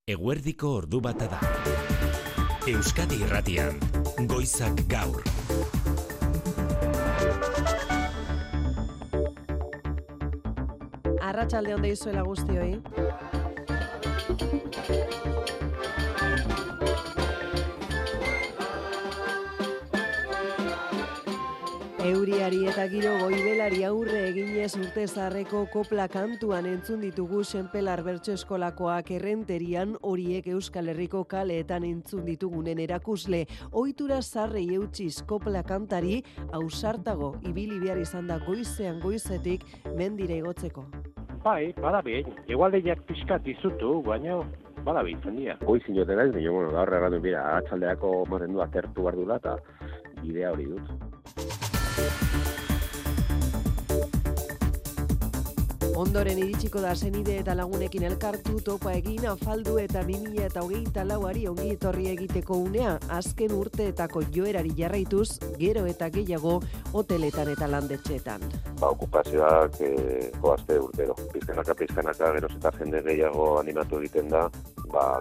Eguerdiko ordu bata da. Euskadi Irratian, Goizak Gaur. Arratsalde on deizuela guztioi. Euriari eta giro goibelari aurre eginez urte zaharreko kopla kantuan entzun ditugu Senpelar Bertso Eskolakoak Errenterian, horiek Euskal Herriko kaleetan entzun ditugunen erakusle. Ohitura zaharrei eutsiz kopla kantari ausartago ibili behar izan da goizean goizetik mendira igotzeko. Bai, badabi, egualdeiak pixkat dizutu, baina badabi izan dira. Goizin joten naiz, baina gaur erratu bira, arratsaldeako moten du atertu behar dula eta bidea hori dut. Ondoren iritsiko da senide eta lagunekin elkartu, topa egin, afaldu eta 2024 ongi etorri egiteko unea, azken urteetako joerari jarraituz, gero eta gehiago hoteletan eta landetxeetan. Okupazioak joazte urtero. Pizkanaka, gero eta jende gehiago animatu egiten da,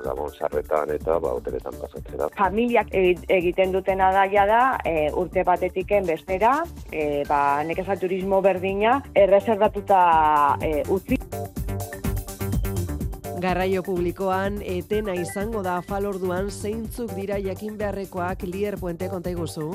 gabon sarretan eta hoteletan pasatzen da. Familiak egiten dutena da urte batetiken bestera, nekeza turismo berdina erreserbatuta utzi. Garraio publikoan etena izango da afalorduan zeintzuk dira jakin beharrekoak. Lier Puente, konta iguzu.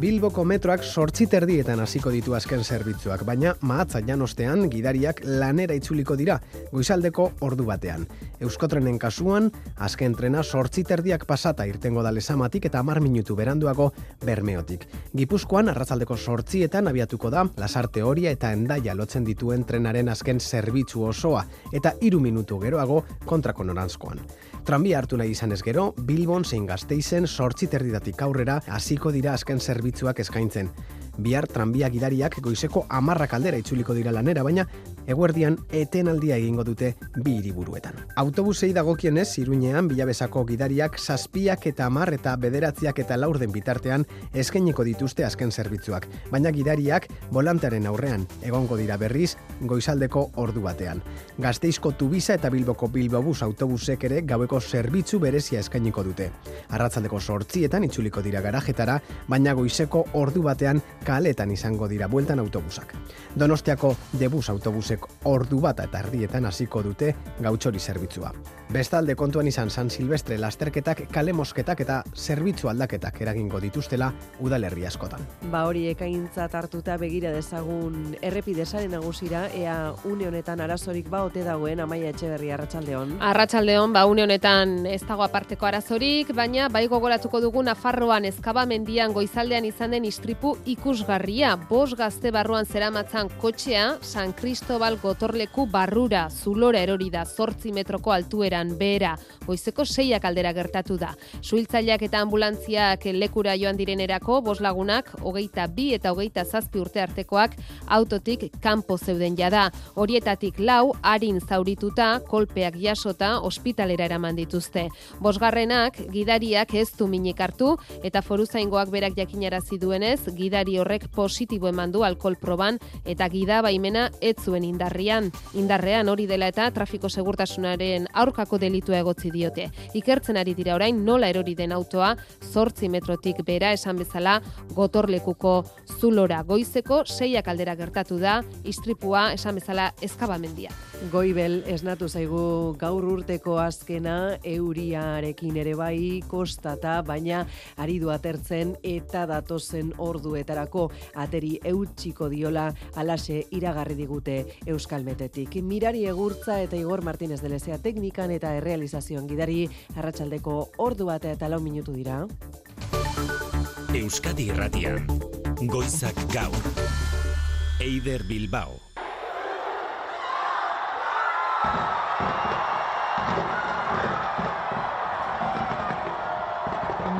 Bilboko metroak 8:30 hasiko ditu azken zerbitzuak, baina mahatza janostean gidariak lanera itzuliko dira goizaldeko ordu batean. Euskotrenen kasuan, azken trena 8:30 pasata irtengo da Lezamatik eta 10 minutu beranduago Bermeotik. Gipuzkoan arratsaldeko 8:00 abiatuko da Lasarte Oria eta Hendaia lotzen dituen trenaren azken zerbitzu osoa eta 3 minutu geroago kontrako noranzkoan. Tranbia hartu nahi izanez gero, Bilbon zein Gasteizen 8:30 aurrera hasiko dira azken zerbitzuak eskaintzen. Bihar tranbia gidariak goizeko 10 aldera itzuliko dira lanera, baina eguerdian etenaldia egingo dute bi hiriburuetan. Autobusei dagokienez, Iruñean Bilabesako gidariak 7 eta 10 eta 9 eta 4 bitartean eskainiko dituzte azken zerbitzuak, baina gidariak bolantearen aurrean egongo dira berriz goizaldeko ordu batean. Gasteizko Tubisa eta Bilboko Bilbobus autobusek ere gaueko zerbitzu berezia eskainiko dute. Arratsaldeko 8:00 itzuliko dira garajetara, baina goizeko ordu batean kaletan izango dira bueltan autobusak. Donostiako Debus autobusek ordu bata eta erdietan hasiko dute gautxori zerbitzua. Bestalde kontuan izan San Silvestre lasterketak, kale mosketak eta zerbitzu aldaketak eragingo dituztela udalerri askotan. Hori ekaintzat hartuta begira dezagun errepide sare nagusira, ea une honetan arazorik ote dagoen. Amaia Etxeberria, arratsaldeon. Arratsaldeon, une honetan ez dago aparteko arazorik, baina bai gogoratuko dugu Nafarroan Ezkabamendian goizaldean izan den istripu ikusgarria. 5 gazte barruan zeramatzan kotxea San Cristobal gotorleku barrura zulora erori da 8 metroko altueran behera. Goizeko 6 aldera gertatu da. Suhiltzaileak eta ambulantziak lekura joan direnerako 5 lagunak 22 eta 27 urte artekoak autotik kanpo zeuden jada. Horietatik 4 arin zaurituta, kolpeak jasota ospitalera eraman dituzte. 5. Gidariak ez du minik hartu eta foruzaingoak berak jakinarazi duenez, gidari horrek positibo eman du alkohol proban eta gida baimena ez zuen indarrean hori dela eta trafiko segurtasunaren aurkako delitua egotzi diote. Ikertzen ari dira orain nola erori den autoa 8 metrotik bera esan bezala gotorlekuko zulora. Goizeko 6 aldera gertatu da istripua esan bezala Ezkabamendia. Goibel esnatu zaigu gaur urteko azkena, euriarekin ere bai kostata, baina ari du atertzen eta datozen orduetarako ateri eutsiko diola alaxe iragarri digute Euskalmetetik. Mirari Egurtza eta Igor Martínez de Lezea teknikan eta errealizazioan gidari. Arratsaldeko ordu bata eta 4 minutu dira. Euskadi Irratian, Goizak Gaur. Eider Bilbao.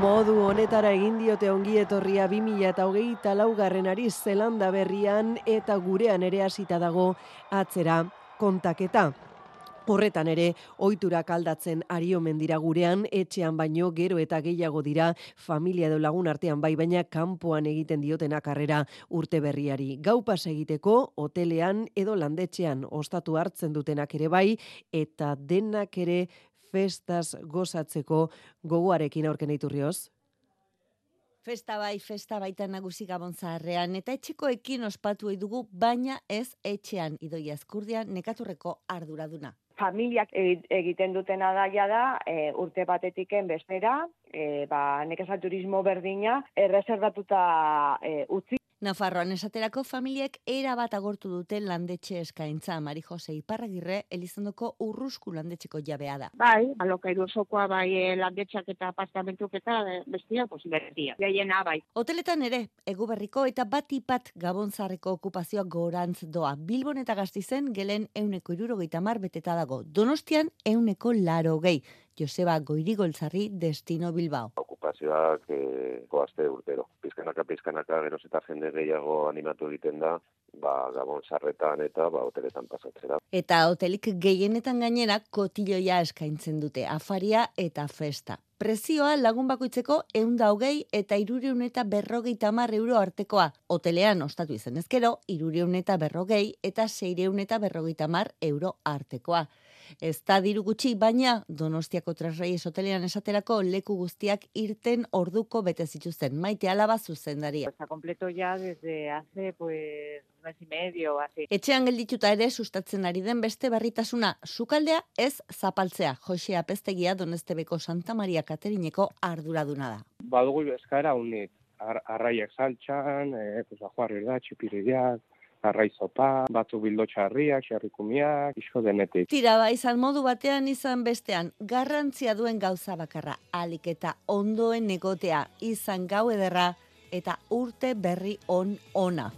Modu honetara egin diote ongi etorria 2024 Zelanda berrian eta gurean ere hasita dago atzera kontaketa. Horretan ere, ohiturak aldatzen ari omen dira gurean, etxean baino gero eta gehiago dira familia edo lagun artean bai, baina kanpoan egiten diotenak harrera urte berriari. Gau pas egiteko, hotelean edo landetxean ostatu hartzen dutenak ere bai, eta denak ere festaz gozatzeko gogoarekin aurken Iturrioz? Festa baita nagusi Gabon Zaharrean, eta etxekoekin ospatu dugu, baina ez etxean. Idoia Ezkurdian nekaturreko arduraduna. Familiak egiten dutena da, urte batetiken bestera, nekazal turismo berdina erreserbatuta utzi. Nafarroan esaterako familiek erabat agortu duten landetxe eskaintza. Mari Jose Iparragirre Elizondoko Urrusku landetxeko jabea da. Bai, alokairu osokoa landetxak eta apartamentuk eta bestia posibilitia. Gehiena bai. Hoteletan ere, Eguberriko eta batipat Gabon Zaharreko okupazioa gorantz doa. Bilbon eta Gastizen gelen 170 beteta dago. Donostian 180. Joseba Goirigoltzarri, Destino Bilbao. Okupazioak goazte urtero. Pizkanaka geroz eta jende gehiago animatu egiten da, Gabon Zaharretan eta hoteletan pasatzera. Eta hotelik gehienetan gainera kotilloia eskaintzen dute, afaria eta festa. Prezioa lagun bakoitzeko 120 eta 350 euro artekoa. Hotelean ostatu izan ezkero, 340 eta 650 euro artekoa. Ez da diru gutxi, baina Donostiako Tres Reyes hotelean esaterako leku guztiak irten orduko bete zituzten. Maite Alaba zuzendaria. Está completo ya desde hace mes y medio así. Etxean geldituta ere sustatzen ari den beste berritasuna, sukaldea ez zapaltzea. Jose Apeztegia Donestebeko Santa Maria Katerineko arduraduna da. Badugu eskaera unik, arraiak saltxan, ajuarri da, txipirideak, arrai zopa, batu bildo txarriak, xerrikumiak, iso denetik. Tira izan modu batean izan bestean, garrantzia duen gauza bakarra, alik eta ondoen egotea, izan gau ederra eta urte berri ona.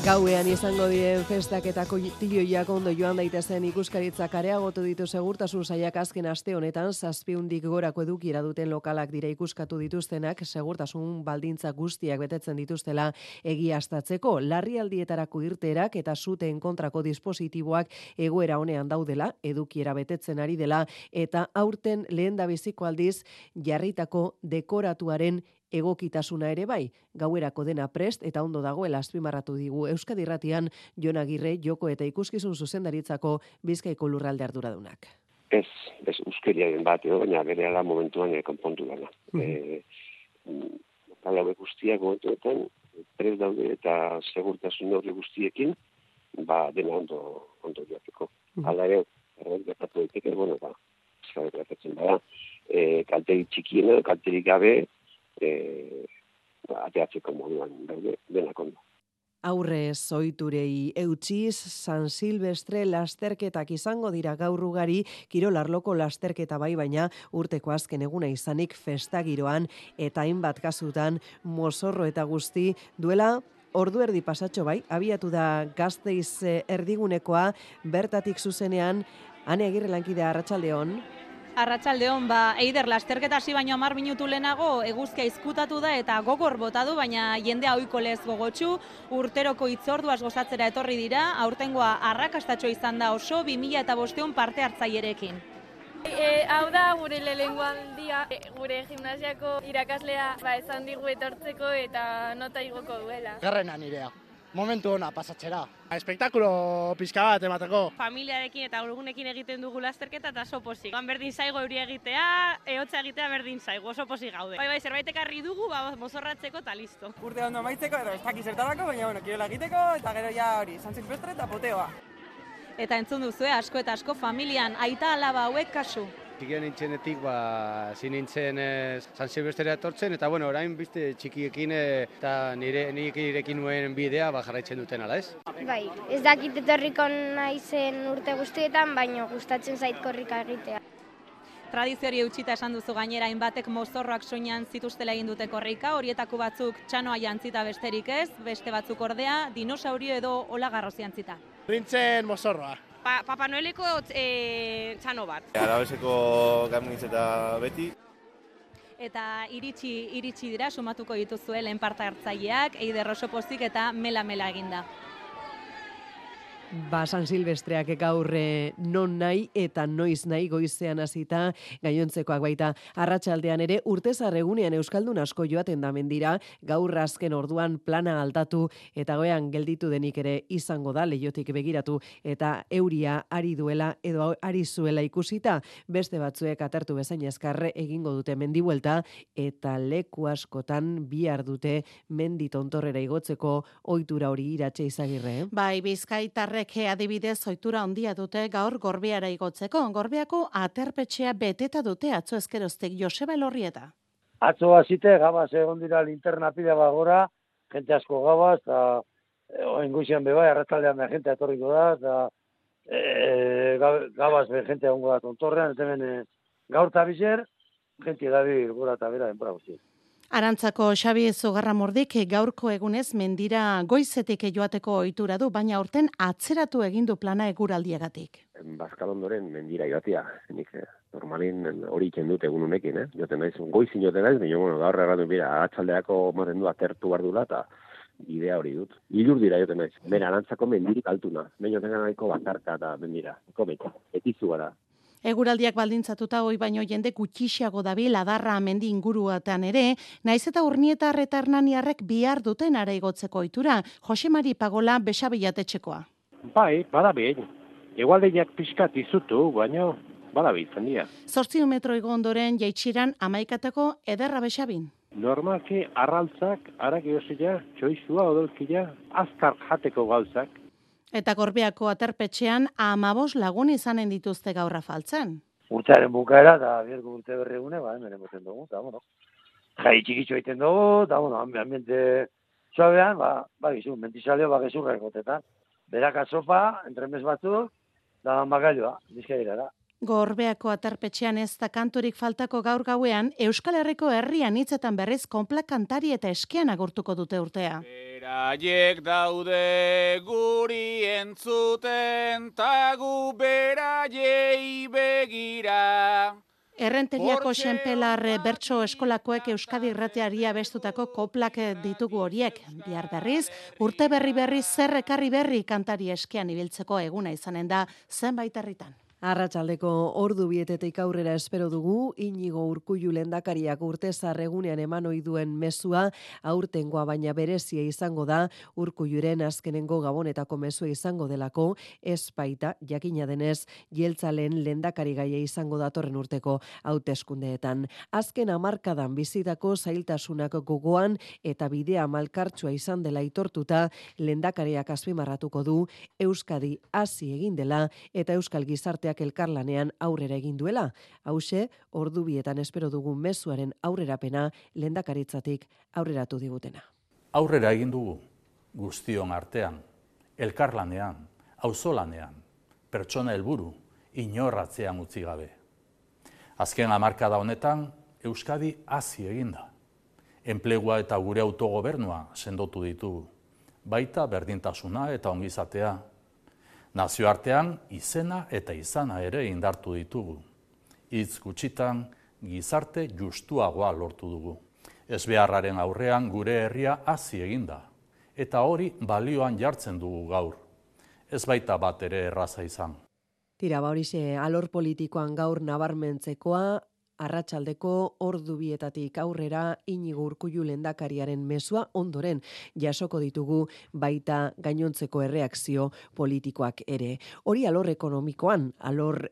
Gauean izango diren festak eta kotilloiak ondo joan daitezen ikuskaritzak areagotu ditu segurtasun sailak azken aste honetan 700 gorako edukiera duten lokalak dira ikuskatu dituztenak segurtasun baldintza guztiak betetzen dituztela egiaztatzeko. Larrialdietarako irteerak eta suteen kontrako dispositiboak egoera honean daudela, edukiera betetzen ari dela eta aurten lehendabiziko aldiz jarritako dekoratuaren egokitasuna ere bai, gauerako dena prest eta ondo dagoela azpimarratu digu Euskadi Irratian Jon Agirre joko eta ikuskizun zuzendaritzako Bizkaiko lurralde arduradunak. Ez euskeriaren bat, baina berehala momentuan konpontu dela. Talauek guztiak momentuetan prest daude eta segurtasun neurri guztiekin, dena ondo joateko. Hala ere, gertatu daiteke, gertatzen bada, kalterik txikiena, kalterik gabe, ateatzeko moduan daude denak ondo. Aurrez ohiturei eutsiz, San Silvestre lasterketak izango dira gaur ugari, kirolarloko lasterketa bai, baina urteko azken eguna izanik festagiroan eta hainbat kasutan mozorro eta guzti duela ordu erdi pasatxo bai, abiatu da Gasteiz erdigunekoa, bertatik zuzenean, Ane Agirre lankidea, arratsaldeon. Arratsaldeon, Eider lasterketa hasi baino 10 minutu lehenago eguzkia izkutatu da eta gogor bota du, baina jendea ohiko lez gogotsu, urteroko hitzorduaz gozatzera etorri dira, aurtengoa arrakastatxo izan da oso 2005 parte hartzailerekin. Hau da gure lehenengo aldia, gure gimnasiako irakaslea esan digu etortzeko eta nota igoko duela. Garrena nirea. Momentu ona pasatzera. Espektakulo pizka bat emateko. Familiarekin eta urgunekin egiten dugu lasterketa eta oso pozik. Berdin zaigo euria egitea, ehotza egitea berdin zaigo, oso pozik gaude. Bai, zerbait ekarri dugu, mozorratzeko eta listo. Urte ondo amaitzeko, ez dakit zertarako, baina kirola egiteko eta gero ja hori, San Silvestre eta poteoa. Eta entzun duzue, asko eta asko familian, aita alaba hauek kasu. Txikian nintzenetik, zin nintzen San Silvestrea etortzen, eta orain bizte txikiekin eta nik irekin nuen bidea jarraitzen duten ala, ez? Bai, ez dakit etorriko naizen urte guztietan, baina gustatzen zait korrika egitea. Tradizioari eutxita esan duzu gainera, hainbatek mozorroak soinean zituztela egin dute korrika, horietako batzuk txanoa jantzita besterik ez, beste batzuk ordea, dinosaurio edo olagarroz jantzita. Nintzen mozorroa. Papa Noeleko txano bat. Arabeseko gamintz eta beti. Eta iritsi dira, sumatuko dituzue, lehen parte hartzaileak, Eider oso pozik eta mela eginda. San Silvestreak gaur non nahi eta noiz nahi goizean hasita gainontzekoak baita arratsaldean ere urtezar egunean euskaldun asko joaten da mendira, gaur azken orduan plana aldatu eta goean gelditu denik ere izango da leihotik begiratu eta euria ari duela edo ari zuela ikusita, beste batzuek atertu bezain azkar egingo dute mendibuelta eta leku askotan bihar dute mendi tontorrera igotzeko ohitura hori Iratxe Izagirre. Bai, bizkaitarrek adibidez ohitura handia dute gaur Gorbeara igotzeko. Gorbeako aterpetxea beteta dute atzo ezkeroztik Joseba Elorrieta. Atzo hasite gabaz egon dira linterna pila bagora, jente asko gabaz, eta oingoizean bebai, arrataldean be jente etorriko da, eta gabaz be jente egongo da tontorrean, eta hemen gaur eta bizer, jente dabil gora eta bera denbora guzti. Arantzako Xabi Zugarramordik gaurko egunez mendira goizetik joateko ohitura du, baina aurten atzeratu egin du plana eguraldiagatik. Bazkalondoren mendira joatia, nik normalin hori iken dut egun honekin, joten naiz, goizin joten naiz, baina bueno, gaur erratu bira, atxaldeako maten du atertu behar dula, eta idea hori dut. Ilur dira joten naiz, bera arantzako mendirik altuna, baina joten nahiko bakarka eta mendira, etizu gara. Eguraldiak baldintzatuta hoi baino jende gutxiago dabil Adarra mendi inguruetan ere, naiz eta Urnietar eta Hernaniarrek bihar duten ara igotzeko ohitura. Jose Mari Pagola Besabilatetxekoa. Bai, badabil. Egualdeiak pixkat izutu, baina badabil zendia. 8 metro igo ondoren jaitsiran 11 ederra Besabin. Normalki arraltzak, arakiosila, txoizua odolkila, azkar jateko gauzak. Eta Gorbeako aterpetxean 15 lagun izanen dituzte gaur afaltzen. Urtearen bukaera eta bierko urte berregune, hemen emoten dugu, eta bueno, jai txikitxo egiten dugu, eta bueno, ambiente suabean, gizu, mentizaleo, gezurra egotetan. Beraka sopa, entremez batzuk, da bakailoa, bizkaira da. Gorbeako aterpetxean ez da kanturik faltako gaur gauean, Euskal Herriko herrian hitzetan berriz konplak kantari eta eskean agurtuko dute urtea. Beraiek daude guri entzuten, tagu beraiei begira. Errenteriako Xenpelar bertso eskolakoek Euskadi Irratiari abestutako koplak ditugu horiek. Bihar berriz, urte berri zer ekarri berri kantari eskean ibiltzeko eguna izanen da zenbait herritan. Arratsaldeko ordu bietetik aurrera espero dugu, Inigo Urkullu lehendakariak urtezar egunean eman ohi duen mezua, aurtengoa baina berezia izango da, Urkulluren azkenengo gabonetako mezua izango delako, espaita, jakina denez, jeltzalen lehendakari gaia izango datorren urteko hauteskundeetan. Azken hamarkadan bizitako zailtasunak gogoan eta bidea malkartsua izan dela aitortuta, lehendakariak azpimarratuko du, Euskadi hasi egin dela eta Euskal Gizarteak elkarlanean aurrera egin duela. Hauxe, ordu bietan espero dugun mezuaren aurrerapena lehendakaritzatik aurreratu digutena. Aurrera egin dugu, guztion artean, elkarlanean, auzolanean, pertsona helburu, inorratzean utzi gabe. Azken hamarkada honetan, Euskadi hazi eginda. Enplegua eta gure autogobernua sendotu ditugu, baita berdintasuna eta ongizatea. Nazioartean izena eta izana ere indartu ditugu. Hitz gutxitan gizarte justuagoa lortu dugu. Ezbeharraren aurrean gure herria hazi eginda, eta hori balioan jartzen dugu gaur. Ez baita bat ere erraza izan. Tira, horixe alor politikoan gaur nabarmentzekoa, arratsaldeko ordu bietatik aurrera Inigo Urkullu lehendakariaren mezua ondoren jasoko ditugu baita gainontzeko erreakzio politikoak ere. Hori alor ekonomikoan, alor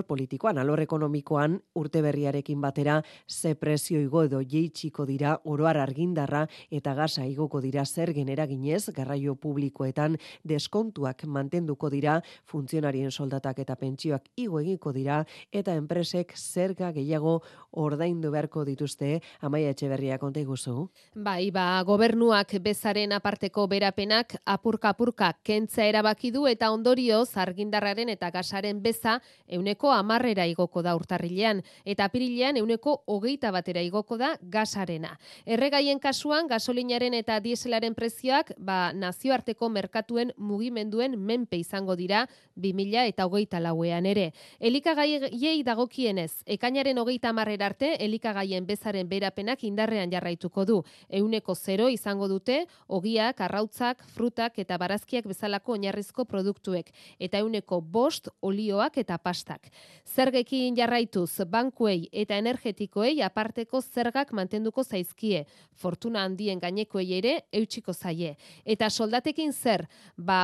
politikoan, alor ekonomikoan urte berriarekin batera ze prezio igo edo jeitsiko dira oroar argindarra eta gasa igoko dira zergen eraginez, garraio publikoetan deskontuak mantenduko dira, funtzionarien soldatak eta pentsioak igo egiko dira eta enpresek zerga gehiago ordaindu beharko dituzte. Amaia Etxeberria konta iguzu. Bai, gobernuak bezaren aparteko berapenak apurka kentzea erabaki du eta ondorioz argindarraren eta gasaren beza 10% igoko da urtarrilean, eta apirilean 21% igoko da gasarena. Erregaien kasuan, gasolinaren eta dieselaren prezioak nazioarteko merkatuen mugimenduen menpe izango dira 2024ean ere. Elikagaiei dagokienez, ekainaren 30 arte elikagaien bezaren berapenak indarrean jarraituko du. 0% izango dute ogiak, arrautzak, frutak eta barazkiak bezalako oinarrizko produktuek, eta 5% olioak eta pastak. Zergekin jarraituz, bankuei eta energetikoei aparteko zergak mantenduko zaizkie, fortuna handien gainekoei ere eutsiko zaie. Eta soldatekin zer?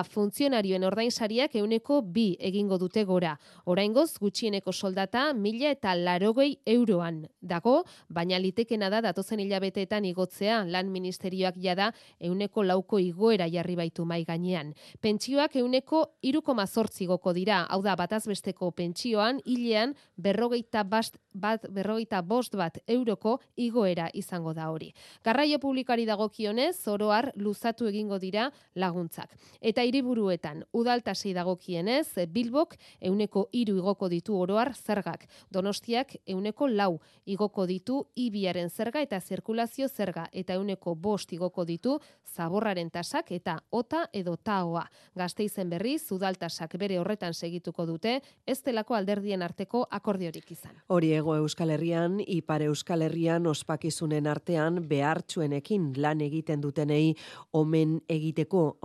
Funtzionarioen ordainsariak 2% egingo dute gora. Oraingoz gutxieneko soldata 1.080 euroan dago, baina litekena da datozen hilabeteetan igotzea, lan ministerioak jada 4% igoera jarri baitu mai gainean. Pentsioak 3,8% igoko dira, hau da batazbesteko pentsioan hilean 45 euroko igoera izango da hori. Garraio publikoari dagokionez, oro har luzatu egingo dira laguntzak. Eta hiriburuetan, udaltasei dagokienez, Bilbok 3% igoko ditu oro har zergak. Donostiak 4% igoko ditu ibiaren zerga eta zirkulazio zerga, eta 5% igoko ditu zaborraren tasak eta ota edo taoa. Gasteizen berriz, udaltasak bere horretan segituko dute, ez delako alderdien arteko akordiorik izan. Hori Hego Euskal Herrian, Ipar Euskal Herrian ospakizunen artean behartsuenekin lan egiten dutenei omen egiteko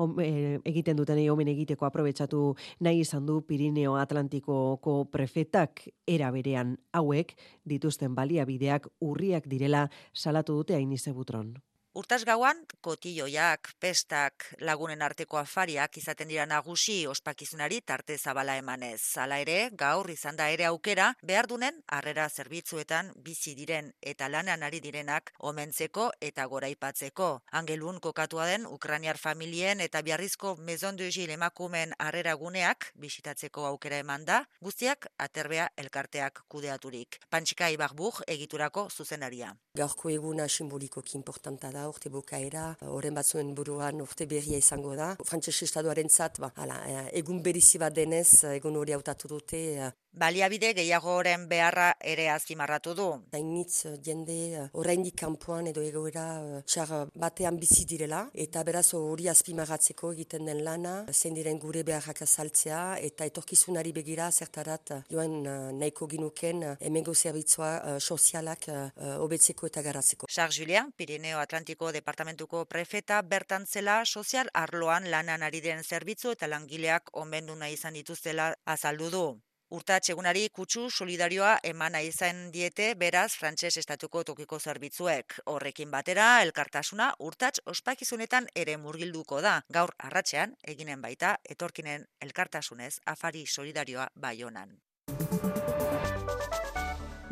aprobetxatu nahi izan du Pirineo Atlantikoko prefetak, era berean hauek dituzten baliabideak urriak direla salatu dute Ainize Butron. Urtas gauan, kotilloiak, pestak, lagunen arteko afariak izaten dira nagusi ospakizunari tarte zabala emanez. Hala ere, gaur izan da ere aukera, behardunen harrera zerbitzuetan bizi diren eta lanean ari direnak omentzeko eta goraipatzeko. Angelun kokatua den Ukrainiar familien eta Biarrizko Maison de Gilles emakumeen harrera guneak bisitatzeko aukera eman da, guztiak Aterbea elkarteak kudeaturik. Pantxika Ibarbur egiturako zuzenaria. Gaurko eguna simbolikoki importanta da, urte bukaera, horren batzuen buruan urte berria izango da. Frantses estatuaren zat, egun berizi bat denez, egun hori hautatu dute. Baliabide gehiagoren beharra ere azpimarratu du. Hainitz jende oraindik kanpoan edo egoera txar batean bizi direla, eta beraz hori azpimarratzeko egiten den lana, zein diren gure beharrak azaltzea, eta etorkizunari begira zertarat joan nahiko ginuken hemengo zerbitzua sozialak hobetzeko eta garatzeko. Charles Julien, Pirineo Atlantiko departamentuko prefeta, bertan zela sozial arloan lanan ari den zerbitzu eta langileak omendu nahi izan dituztela azaldu du. Urtats egunari kutsu solidarioa emana izan diete, beraz, Frantses estatuko tokiko zerbitzuek. Horrekin batera, elkartasuna urtats ospakizunetan ere murgilduko da. Gaur arratsean eginen baita, etorkinen elkartasunez afari solidarioa Baionan.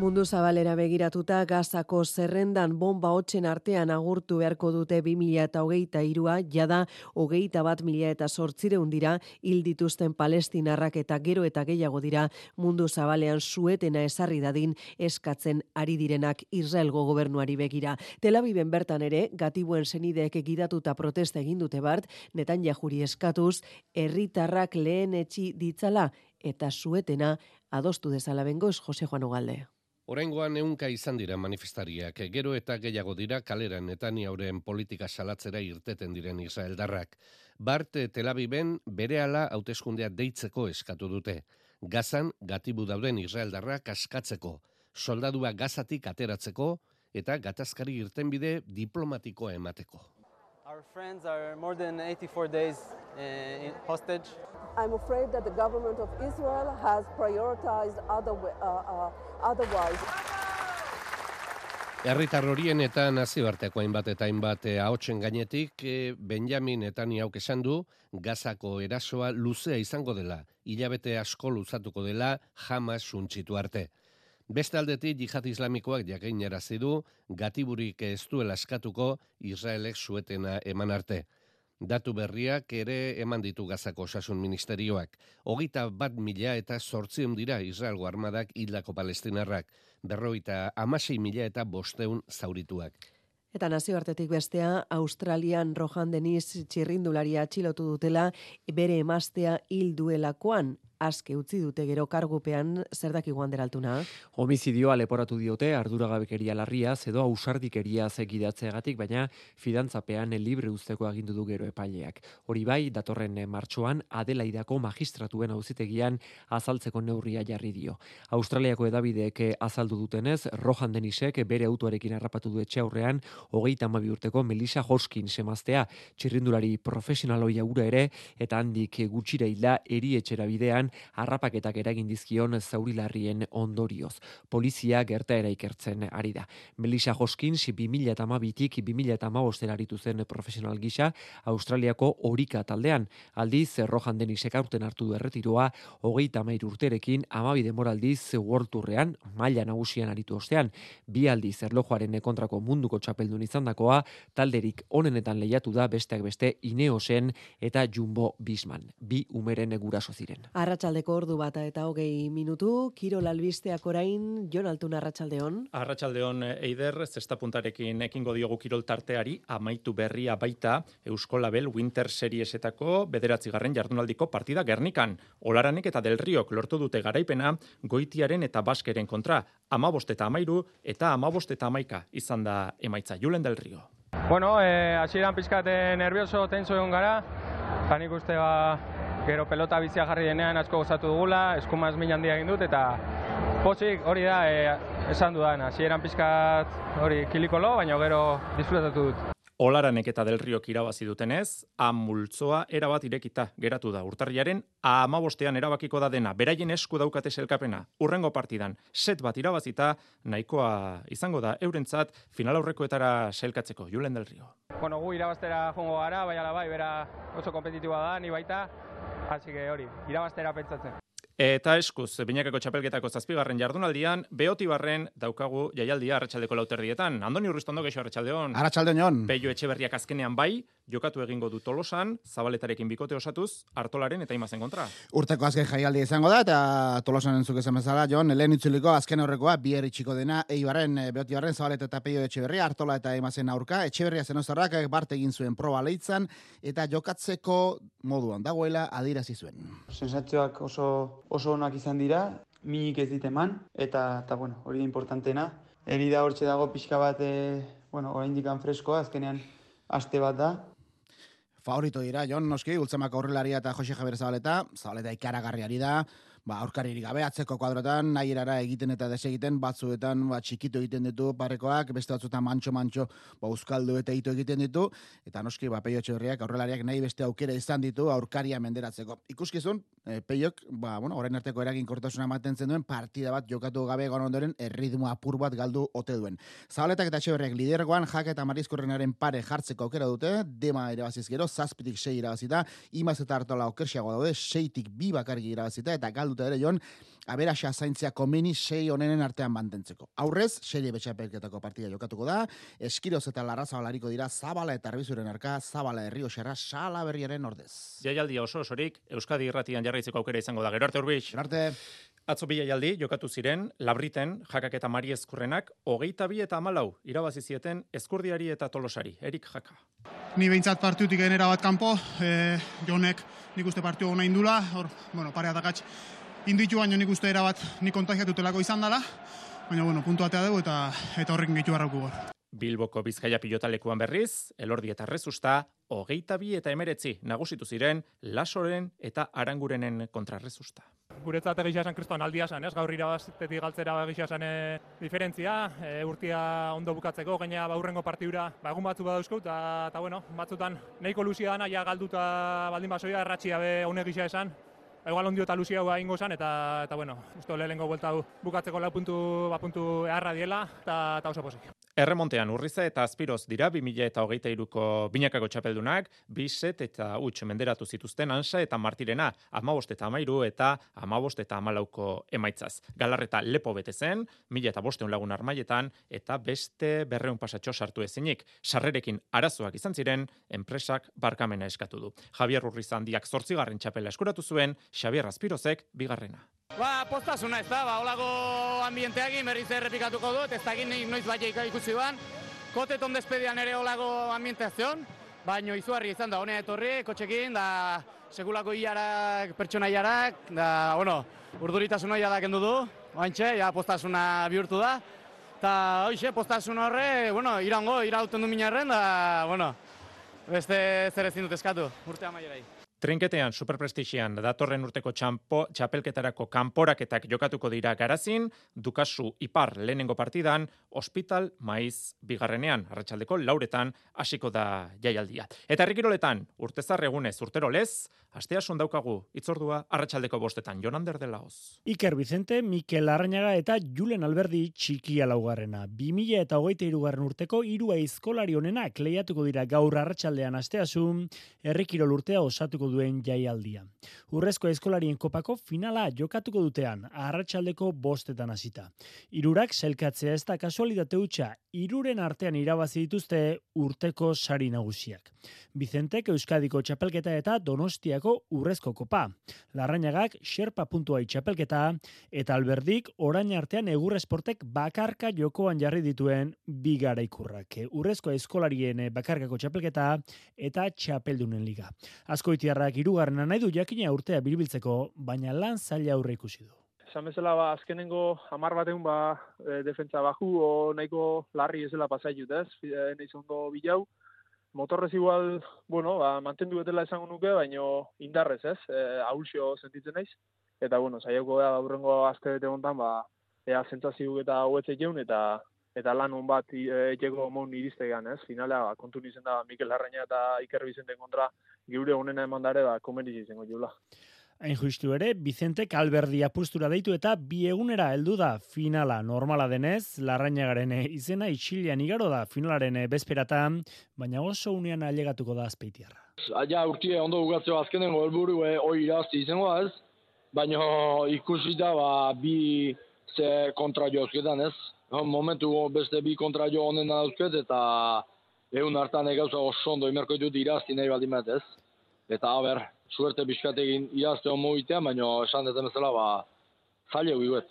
Mundu zabalera begiratuta Gazako zerrendan bomba hotzen artean agurtu beharko dute 2023a, jada 21.800 dira hil dituzten palestinarrak eta gero eta gehiago dira mundu zabalean suetena ezarri dadin eskatzen ari direnak Israelgo gobernuari begira. Tel Aviven bertan ere, gatibuen senideek gidatuta protesta egin dute bart, Netanyahuri eskatuz, herritarrak lehen etxi ditzala eta suetena adostu dezala bengoz Jose Juan Ugalde. Oraingoan 100 izan dira manifestariak, gero eta gehiago dira kaleran Netanyahuren politika salatzera irteten diren israeldarrak. Bart Tel Aviven berehala hauteskundea deitzeko eskatu dute. Gazan gatibu dauden israeldarrak askatzeko, soldadua Gazatik ateratzeko eta gatazkari irtenbide diplomatikoa emateko. Our friends are more than 84 days hostage. I'm afraid that the government of Israel has prioritized otherwise. Herritar horien eta nazioarteko hainbat eta hainbat ahotsen gainetik Benjamin Netanyahuk esan du Gazako erasoa luzea izango dela, hilabete asko luzatuko dela Hamas suntsitu arte. Beste aldetik jihad islamikoak jakinarazi du gatiburik ez duela eskatuko Israelek suetena eman arte. Datu berriak ere eman ditu Gazako osasun ministerioak. 21.800 dira Israelgo armadak hildako palestinarrak, 56.500 zaurituak. Eta nazioartetik bestea, Australian Rohan Dennis txirrindularia atxilotu dutela bere emaztea hil duelakoan. aske utzi dute gero kargupean, zer dakigu Ander Altuna? Homizidioa leporatu diote arduragabekeria larriaz edo ausardikeriaz egidatzeagatik, baina fidantzapean libre uzteko agindu du gero epaileak. Hori bai, datorren martxoan Adelaidako magistratuen auzitegian azaltzeko neurria jarri dio. Australiako edabideek azaldu dutenez, Rohan Denisek bere autoarekin harrapatu du etxe aurrean 32 urteko Melissa Hoskins emaztea, txirrindulari profesional ohia ura ere, eta handik gutxira hilda erietxera bidean harrapaketak eragin dizkion zauri larrien ondorioz. Polizia gertaera ikertzen ari da. Melissa Hoskins 2012tik 2015 aritu zen profesional gisa Australiako Orika taldean. Aldiz, Rohan Denisek aurten hartu du erretiroa 33 urterekin 12 denboraldiz World Tourrean maila nagusian aritu ostean. 2 aldiz erlojuaren kontrako munduko txapeldun izandakoa, talderik onenetan lehiatu da besteak beste Ineosen eta Jumbo Visman. 2 umeren guraso ziren. Arratsaldeko 1:20, Kirol albisteak orain, Jon Altuna, arratsaldeon. Arratsaldeon, Eider, zesta puntarekin ekingo diogu kirol tarteari, amaitu berria baita Euskolabel Winter Seriesetako 9. jardunaldiko partida Gernikan. Olaranek eta Del Riok lortu dute garaipena Goitiaren eta Baskeren kontra, 15-13 eta 15-11 izan da emaitza. Julen Del Rio. Bueno, hasieran pizkat nervioso, tenso egon gara, nik uste gero pelota bizia jarri denean asko gozatu dugula, eskumaz min handia egin dut, eta pozik hori da esan dudan, hasieran pizkat hori kilikolo, baina gero disfrutatu dut. Olaranek eta Del Riok irabazi dutenez, multzoa erabat irekita geratu da. Urtarrilaren 15ean erabakiko da dena, beraien esku daukate sailkapena. Urrengo partidan set bat irabazita, nahikoa izango da eurentzat final aurrekoetara sailkatzeko. Julen Del Rio. Bueno, gu irabaztera jongo gara, bai, bera oso kompetitiboa da, ni baita, hasi que hori, irabaztera pentsatzen. Eta eskuz, binakako txapelketako 7. jardunaldian, Beotibarren daukagu jaialdia arratsaldeko 4:00. Andoni Urristondo, geixo arratsaldeon. Arratsaldeon, Jon. Peio Etxeberriak azkenean bai, jokatu egingo du Tolosan, Zabaletarekin bikote osatuz, Artolaren eta Imazen kontra. Urteko azken jaialdia izango da, eta Tolosan entzuk esan bezala, Jon, lehen itzuliko azken horrekoa, bier itxiko dena, Beotibarren, Zabaleta eta Peio Etxeberria, Artola eta Imazen aurka, Etxeberria zenozarrak bart egin zuen proba leitzan, eta jokatzeko moduan dagoela adierazi zuen. Sensazioak oso onak izan dira, minik ez dit eman, eta bueno, hori da importantena. Herida hortxe dago pixka bat, oraindik freskoa, azkenean aste bat da. Favorito dira, Jon, noski, Ultzamako aurrelaria eta Jose Javier Zabaleta ikaragarriari da, aurkaririk gabe atzeko kuadrotan, nahi erara egiten eta desegiten, batzuetan txikitu egiten ditu parekoak, beste batzuetan mantxo euskaldu eta ito egiten ditu, eta noski Peio Etxeberriak aurrelariak nahi beste aukera izan ditu aurkaria menderatzeko. Ikuskizun, Peiok, orain arteko eraginkortasuna ematen zen duen, partida bat jokatu gabe egon ondoren erritmo apur bat galdu ote duen. Zabaletak eta Etxeberriak lidergoan, Jake eta Marizkorrenaren pare jartzeko aukera dute, Dema irabaziz gero, 7-6 irabazita, Imaz eta Artola okerxiago daude, 6-2 bakarrik irabazita, eta galduta ere, Jon, aberaxa zaintzea komeni 6 onenen artean mantentzeko. Aurrez, serie betxapelketako partida jokatuko da, Eskiroz eta Larrazabalariko dira Zabala eta Arbizuren arka, Zabala Errioxarra Salaberriaren ordez. Jaialdia osorik, Euskadi Irratian jarraitzeko aukera izango da. Gero arte Urbix. Atzo bi jaialdi jokatu ziren, Labriten, Jakak eta Mari Ezkurrenak, 22 eta 14 irabazi zieten Ezkurdiari eta Tolosari. Erik Jaka. Ni behintzat partiutik genera bat kanpo, Jonek nik uste partiu hona indula, pare atakatx inditu baino nik uste erabat nik kontagiatutelako izan dela, baina puntu batea dugu eta horrekin gehitu barrauku gor. Bilboko Bizkaia pilotalekuan berriz, Elordi eta Rezusta, 22 eta 19 nagusitu ziren Lasoren eta Arangurenen kontra Rezusta. Guretzat egia esan kriston aldia esan, gaur irabaztetik galtzera egia esan diferentzia, urtia ondo bukatzeko, gaina urrengo partidura egun batzuk badauzko, eta batzutan nahiko luzia dana, ja galduta baldin basoia, erratxia be honek gisa esan, igual ondio eta luzia hua ingo zen, eta uste lehenengo buelta bukatzeko 4 puntu eharra diela, eta oso posik. Erremontean Urriza eta Azpiroz dira 2023ko binakako txapeldunak, 2 set eta huts menderatu zituzten Ansa eta Martirena, 15 eta 13 eta 15 eta 14ko emaitzaz. Galarreta lepo bete zen, 1500 lagun armailetan eta beste 200 pasatxo sartu ezinik. Sarrerekin arazoak izan ziren, enpresak barkamena eskatu du. Javier Urriza handiak 8. txapela eskuratu zuen, Xabier Azpirozek 2. Postasuna ez da, holako ambienteagin berriz errepikatuko dut, ez dakit noiz baita ikusi duan. Koteton despedian ere holako ambienteazion, baina izugarri izan da, honea etorri, kotxekin, da sekulako hilarak, pertsona hilarak, da, bueno, urduritasuna ja da kendu du, oantxe, ja postasuna bihurtu da, eta hoxe, postasun horre, bueno, irauten du minarren, da, bueno, beste zer ezin dut eskatu, urte amaierai. Trinketean, superprestixian, datorren urteko txapelketarako kanporaketak jokatuko dira Garazin, Dukasu Ipar lehenengo partidan, Hospital Maiz bigarrenean, arratsaldeko 4etan hasiko da jaialdia. Eta herrikiroletan, urtezar egunez, urtero lez, asteasun daukagu, itzordua arratsaldeko 5etan, Jon Ander de Laoz. Iker Vicente, Mikel Larrañaga eta Julen Alberdi txikia laugarrena. 2023 urteko 3 aizkolari honenak lehiatuko dira gaur arratsaldean asteasun, herrikirol urtea osatuko duen jaialdia. Urrezko aizkolarien kopako finala jokatuko dutean, arratsaldeko 5etan hasita. 3 sailkatzea ez da kasualitate hutsa, 3 artean irabazi dituzte urteko sari nagusiak. Vicentek Euskadiko txapelketa eta Donostiako urrezko kopa. Larrañagak Sherpa puntuai txapelketa eta Alberdik orain artean Egur Esportek bakarka jokoan jarri dituen 2 garaikurrak. Urrezko aizkolarien bakarkako txapelketa eta txapeldunen liga. Azkoitiarrak 3. nahi du jakina urtea bilbiltzeko, baina lan zaila aurre ikusi du. Esan bezala, azkenengo 10 bateun, defentsa baju, o nahiko larri ezela pasaiut, ez? Neiz ondo bilau. Motorrez igual, mantendu betela esango nuke, baino indarrez, ez? Ahulxo sentitzen naiz. Eta, saioko da aurrengo aste bete hontan, ea zentzazioak eta hobetzek jeun, eta lan hon bat etxeko mon iriztegan, ez? Finalea, kontu nizen da, Mikel Larrañaga eta Iker Vicenten kontra geure honena eman dare, komeniz izango jula. Hain justu ere, Vicentek Alberdi apustura deitu eta 2 egunera heldu da finala. Normala denez, Larrañagaren izena itxilean igaro da finalaren bezperatan, baina oso unean ailegatuko da Azpeitiarra. Ja, urtie ondo bukatzeo azkenengo helburu hori irazti izango ez, baina ikusi da 2 kontra jozketan ez. Momentu beste 2 kontra jo honen dauzket eta egun hartan egauza oso ondo imerko ditut irazti nahi baldin bat ez. Eta suerte bizkatekin irazte homo itean, baina esan deten bezala, zaila guiuet.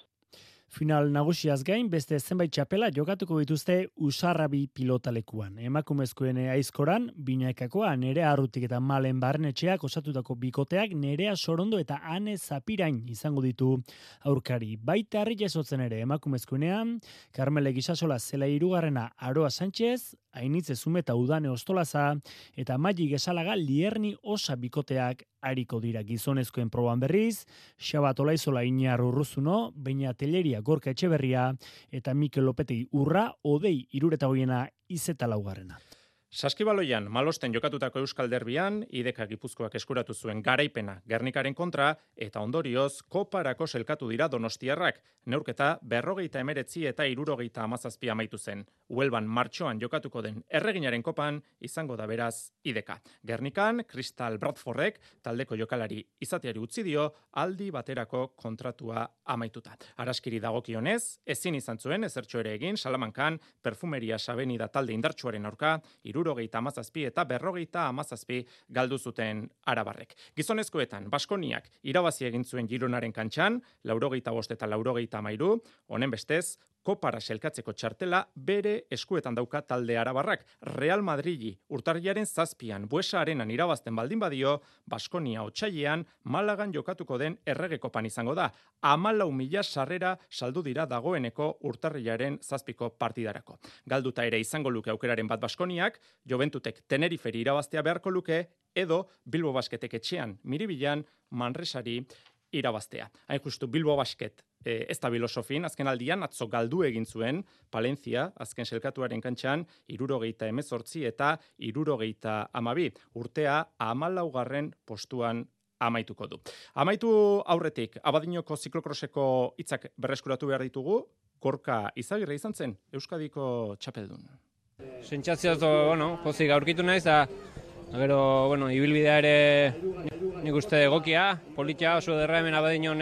Final nagusiaz gain, beste zenbait txapela jokatuko dituzte Usarrabi pilotalekuan. Emakumezkoen aizkoran, Binaikakoa, Nerea Arrutik eta Malen Barnetxeak osatutako bikoteak Nerea Sorondo eta Ane Zapirain izango ditu aurkari. Baita harri jasotzen ere emakumezkoenean, Carmele Gisasola zela 3. Aroa Sánchez, Ainitze Zume eta Udane Ostolaza, eta Maili Gesalaga Lierni Osa bikoteak ariko dira. Gizonezkoen proban berriz, Xabat Olaizola Iñar Urruzuno, Beña Telleria Gorka Etxeberria, eta Mikel Lopetegi Urra, Odei 74 Izeta 4. Saskibaloian, Malosten jokatutako Euskal Derbian, IDK Gipuzkoak eskuratu zuen garaipena Gernikaren kontra, eta ondorioz, koparako selkatu dira Donostiarrak. Neurketa 59 eta 77 amaitu zen. Huelban martxoan jokatuko den Erreginaren kopan, izango da beraz IDK. Gernikan, Kristal Bradfordek, taldeko jokalari izateari utzi dio, aldi baterako kontratua amaituta. Araskiri dagokionez, ezin izan zuen ezertxo ere egin, Salamankan, Perfumeria Sabenida talde indartsuaren aurka, 77 eta 57 galdu zuten arabarrek. Gizonezkoetan, Baskoniak irabazi egin zuen Gironaren kantxan, 85 eta 73, honen bestez, kopara selkatzeko txartela bere eskuetan dauka talde arabarrak. Real Madridi urtarrilaren 7an Buesa Arenan irabazten baldin badio, Baskonia otsailean Malagan jokatuko den erregekopan izango da. 14.000 sarrera saldu dira dagoeneko urtarrilaren 7ko partidarako. Galduta ere izango luke aukeraren bat Baskoniak, Juventutek Teneriferi irabaztea beharko luke, edo Bilbo Basketek etxean Miribilan Manresari irabaztea. Hain justu Bilbo Basket ez da filosofin, azken aldian atzo galdu egin zuen Palencia, azken selkatuaren kantxan 78 eta 72. Urtea 14. postuan amaituko du. Amaitu aurretik, Abadinoko ziklokroseko hitzak berreskuratu behar ditugu, Gorka Izagirre izan zen, Euskadiko txapeldun. Sentsazioz, pozik aurkitu naiz, gero, ibilbidea ere nik uste egokia, politia oso derra hemen Abadinon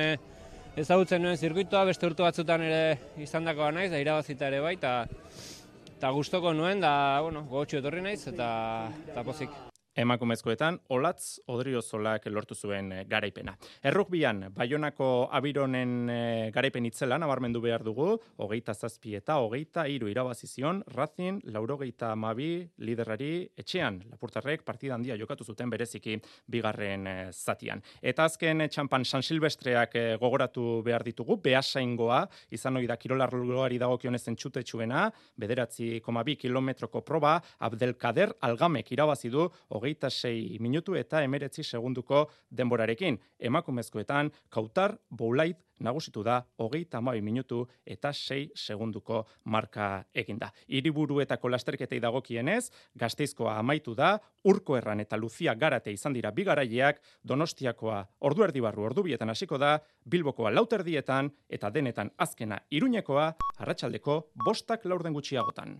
ezagutzen nuen zirkuitoa, beste urte batzutan ere izandakoa naiz, da irabazita ere bai, eta gustoko nuen, da, gogotxu etorri naiz, eta pozik. Emakumezkoetan, Olatz Odriozolak lortu zuen garaipena. Errugbian, Baionako Abironen garaipen itzela nabarmendu behar dugu, 27 eta 23 irabazi zion Racing 82 liderrari etxean. Lapurtarrek partida handia jokatu zuten bereziki bigarren zatian. Eta azken txampan San Silvestreak gogoratu behar ditugu, Beasaingoa, izan ohi da kirolarloari dagokionez entxutetsuena, 9,2 kilometroko proba, Abdelkader Algamek irabazi du 26 minutu eta 19 segunduko denborarekin. Emakumezkoetan, Kautar Boulait nagusitu da 32 minutu eta 6 segunduko marka eginda. Hiriburuetako lasterketei dagokienez, Gasteizkoa amaitu da, Urko Erran eta Luzia Garate izan dira bi garaileak, Donostiakoa ordu erdi barru ordubietan hasiko da, Bilbokoa 4:00 eta denetan azkena Iruñekoa arratsaldeko 5:00 gutxiagotan.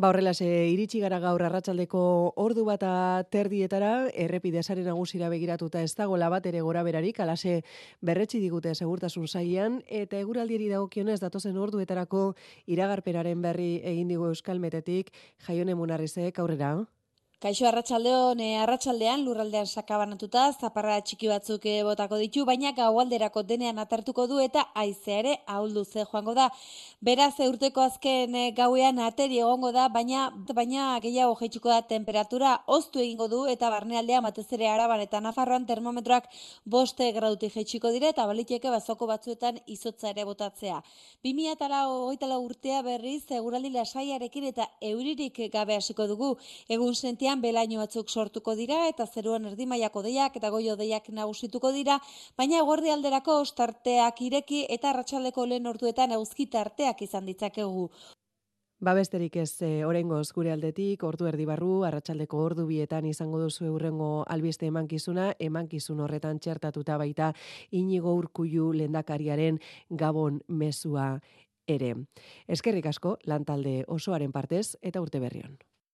Horrelase iritsi gara gaur arratsaldeko 1:30 errepide sare nagusira begiratuta ez dagoela bat ere gora berarik, alase berretsi digute segurtasun sailean eta eguraldiari dagokionez datozen orduetarako iragarpenaren berri egin digu Euskalmetetik. Jaione Munarrizek aurrera. Kaixo arratsaldean lurraldean sakabanatuta zaparra txiki batzuk botako ditu, baina gaualderako denean atertuko du eta haizea ere ahuldu ze joango da. Beraz urteko azken gauean ateri egongo da, baina gehiago jaitsiko da temperatura, hoztu egingo du eta barnealdean batez ere Araban eta Nafarroan termometroak 5 gradutik jaitsiko dira eta baliteke bazoko batzuetan izotza ere botatzea. 2024 urtea berriz eguraldi lasaiarekin eta euririk gabe hasiko dugu. Egun sentian belaino batzuk sortuko dira eta zeruan erdimailako hodeiak eta goi-hodeiak nagusituko dira, baina eguerdialderako ostarteak ireki eta arratsaldeko lehen orduetan eguzki tarteak izan ditzakegu. Besterik ez oraingoz gure aldetik, ordu erdi barru, arratsaldeko ordu 2 izango duzu hurrengo albiste emankizun horretan txertatuta baita Inigo Urkullu lehendakariaren Gabon mezua ere. Eskerrik asko lantalde osoaren partez eta urte berri on.